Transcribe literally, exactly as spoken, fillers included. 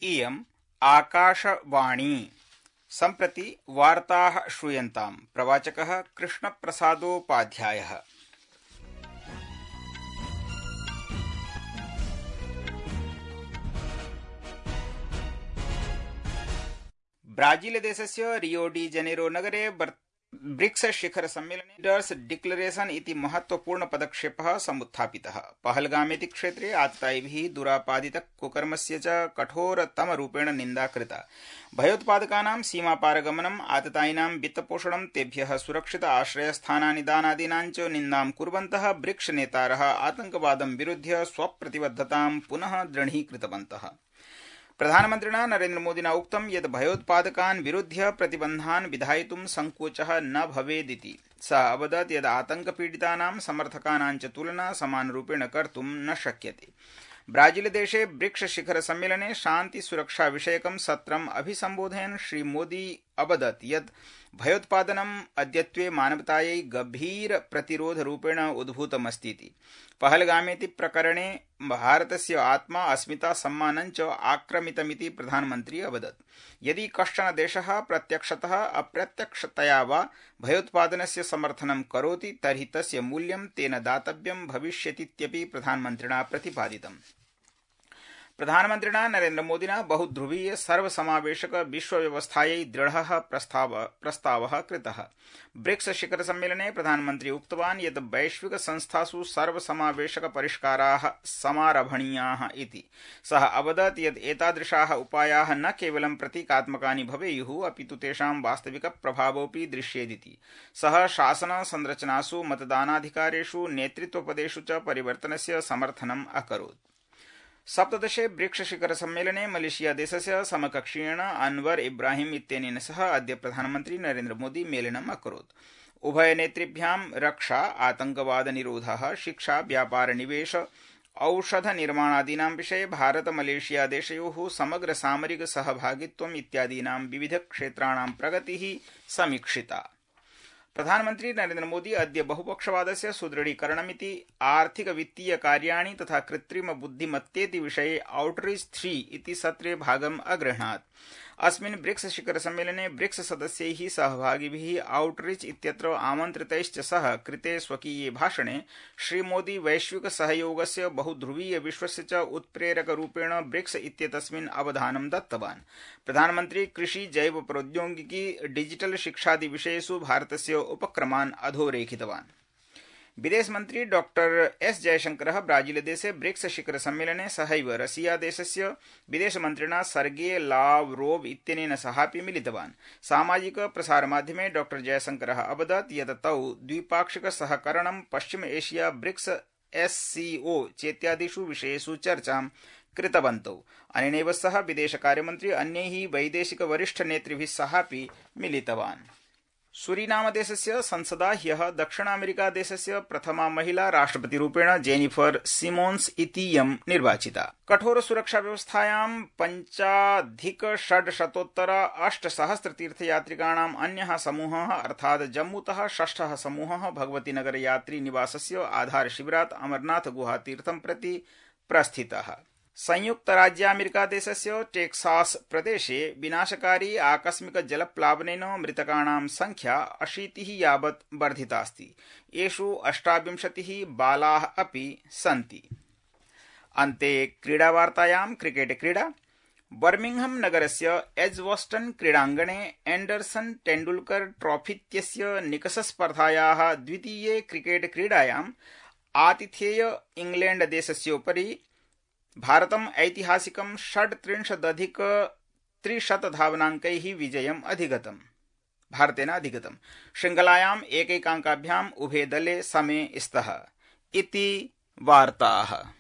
इयम् आकाशवाणी। सम्प्रति वार्ताः श्रूयन्ताम्। प्रवाचकः कृष्णप्रसादोपाध्यायः। ब्राजीलदेशस्य रियो डी जेनेरो नगरे ब्रिक्स शिखर सम्मेलने लीडर्स डिक्लेरेशन इति महत्वपूर्ण पदक्षेपः समुत्थापितः। पहलगामेति क्षेत्रे आततायिभिः दुरापादित कुकर्मस्य च कठोरतमरूपेण निन्दा कृता। भयोत्पादकानां सीमापारगमनम्, आततायिनां वित्तपोषणं, तेभ्यः सुरक्षित आश्रयस्थानानि दानादीनां च निन्दां कुर्वन्तः ब्रिक्स नेतारः आतंकवादं विरुध्य स्वप्रतिबद्धतां पुनः दृढीकृतवन्तः। प्रधानमन्त्रिणा नरेन्द्रमोदिना उक्तं यत् भयोत्पादकान् विरुध्य प्रतिबन्धान् विधायितुं संकोचः न भवेदिति। सः अवदत् यत् आतंकपीडितानां समर्थकानां च तुलना समानरूपेण कर्तुं न शक्यते। ब्राजीलदेशे ब्रिक्स शिखर सम्मेलने शान्ति सुरक्षा विषयकं सत्रम् अभिसम्बोधयन् श्रीमोदी अवदत् यत् भयोत्पादनम् अद्यत्वे मानवतायै गभीर प्रतिरोधरूपेण उद्भूतमस्तीति। पहलगामेति प्रकरणे भारतस्य आत्मा, अस्मिता, सम्मानं च आक्रमितमिति प्रधानमन्त्री अवदत्। यदि कश्चन देशः प्रत्यक्षतः अप्रत्यक्षतया वा भयोत्पादनस्य समर्थनं करोति तर्हि तस्य मूल्यं तेन दातव्यं भविष्यतीत्यपि प्रधानमन्त्रिणा प्रतिपादितम्। प्रधानमन्त्रिणा नरेन्द्रमोदिना बहुध्रुवीय सर्वसमावेशक विश्वव्यवस्थायै दृढः प्रस्ताव प्रस्तावः कृतः। ब्रिक्स शिखर सम्मेलने प्रधानमन्त्री उक्तवान् यत् वैश्विक संस्थासु सर्वसमावेशक परिष्काराः समारभणीयाः इति। सः अवदत् यत् एतादृशाः उपायाः न केवलं प्रतीकात्मकानि भवेयुः अपितु तेषां वास्तविक प्रभावोऽपि दृश्येदिति। सः शासन संरचनासु, मतदानाधिकारेषु, नेतृत्वपदेषु च परिवर्तनस्य समर्थनम् अकरोत्। सप्तदशे ब्रिक्स शिखर सम्मेलने मलेशिया देशस्य समकक्षीयेण अनवर इब्राहिम इत्यनेन सह अद्य प्रधानमन्त्री नरेन्द्र मोदी मेलनम् अकरोत्। उभयनेतृभ्यां रक्षा, आतंकवाद निरोधः, शिक्षा, व्यापार, निवेश, औषध निर्माणादीनां विषये भारत मलेशिया देशयोः समग्र सामरिक सहभागित्वम् इत्यादीनां विविध क्षेत्राणां प्रगतिः समीक्षिता। प्रधानमन्त्री नरेन्द्र मोदी अद्य बहुपक्षवादस्य सुदृढीकरणमिति, आर्थिक वित्तीय कार्याणि तथा कृत्रिम बुद्धिमत्तेति विषये आउटरीच थ्री इति सत्रे भागम् अगृह्णात्। अस्मिन् ब्रिक्स शिखर सम्मेलने ब्रिक्स सदस्यैः सहभागिभिः आउटरीच इत्यत्र आमन्त्रितैश्च सह कृते स्वकीये भाषणे श्रीमोदी वैश्विक सहयोगस्य बहुध्रुवीय विश्वस्य च उत्प्रेरकरूपेण ब्रिक्स इत्येतस्मिन् अवधानं दत्तवान्। प्रधानमन्त्री कृषि, जैव प्रौद्योगिकी, डिजिटल शिक्षादि विषयेषु भारतस्य उपक्रमान् अधोरेखितवान्। विदेशमन्त्री डॉक्टर एस जयशंकरः ब्राजीलदेशे ब्रिक्स शिखर सम्मेलने सहैव रशिया देशस्य विदेशमन्त्रिणा सर्गे लावरोव इत्यनेन सहापि मिलितवान्। सामाजिक प्रसारमाध्यमे डॉक्टर जयशंकरः अवदत् यत् तौ द्विपाक्षिक सहकरणं, पश्चिम एशिया, ब्रिक्स, एससीओ चेत्यादिषु विषयेषु चर्चां कृतवन्तौ। अनेनैव सह विदेशकार्यमन्त्री अन्यैः वैदेशिक वरिष्ठ नेतृभिः सहापि मिलितवान्। सूरीनाम देशस्य संसदा ह्यः दक्षिण अमेरिका देशस्य प्रथमा महिला राष्ट्रपतिरूपेण जेनिफर सिमोन्स इतीयं निर्वाचिता। कठोर सुरक्षा व्यवस्थायां पञ्चाधिक षड्शतोत्तर अष्टसहस्र तीर्थयात्रिकाणाम् अन्यः समूहः अर्थात् जम्मूतः षष्ठः समूहः भगवतीनगर यात्री निवासस्य आधारशिबिरात् अमरनाथ गुहातीर्थं प्रति प्रस्थितः। संयुक्त राज्यामेरिका देशस्य टेक्सास प्रदेशे विनाशकारी आकस्मिक जलप्लावनेन मृतकाणां संख्या अशीतिः यावत् वर्धितास्ति। येषु अष्टाविंशतिः बालाः अपि सन्ति। अन्ते क्रीडावार्तायां क्रिकेट क्रीडा। बर्मिंघम नगरस्य एज्बस्टन क्रीडाङ्गणे एंडरसन तेंडुलकर ट्रॉफीत्यस्य निकषस्पर्धायाः द्वितीये क्रिकेट क्रीडायाम् आतिथेय इंग्लैंड देशस्योपरि भारतम् ऐतिहासिकं षड्त्रिंशदधिक त्रिशतधावनाङ्कैः विजयम् अधिगतम् भारतेन अधिगतम्। शृङ्खलायाम् एकैकाङ्काभ्याम् उभे दले समे स्तः इति वार्ताः।